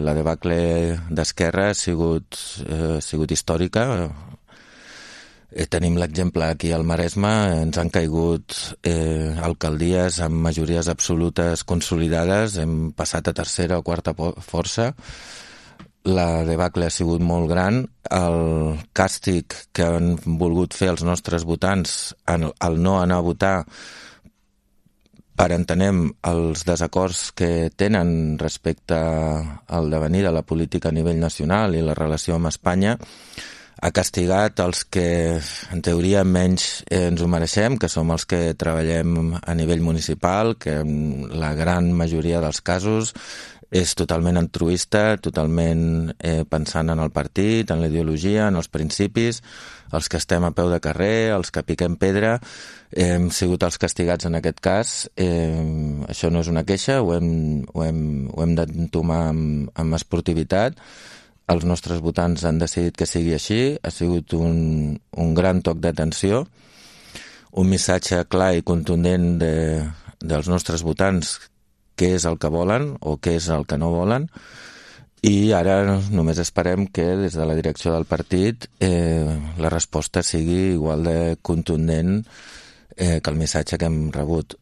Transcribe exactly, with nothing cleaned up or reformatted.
La debacle d'Esquerra ha sigut, eh, ha sigut històrica. Eh, tenim l'exemple aquí al Maresme, ens han caigut eh, alcaldies amb majories absolutes consolidades, hem passat a tercera o quarta força. La debacle ha sigut molt gran. El càstig que han volgut fer els nostres votants al no anar a votar, per entenem els desacords que tenen respecte al devenir de la política a nivell nacional i la relació amb Espanya, ha castigat els que en teoria menys ens ho mereixem, que som els que treballem a nivell municipal, que en la gran majoria dels casos és totalment altruista, totalment eh, pensant en el partit, en la ideologia, en els principis. Els que estem a peu de carrer, els que piquem pedra, eh, hem sigut els castigats en aquest cas. Eh, això no és una queixa, ho hem, ho hem, ho hem d'entomar amb, amb esportivitat. Els nostres votants han decidit que sigui així. Ha sigut un, un gran toc d'atenció, un missatge clar i contundent de, dels nostres votants, què és el que volen o què és el que no volen. I ara només esperem que des de la direcció del partit eh, la resposta sigui igual de contundent eh, que el missatge que hem rebut.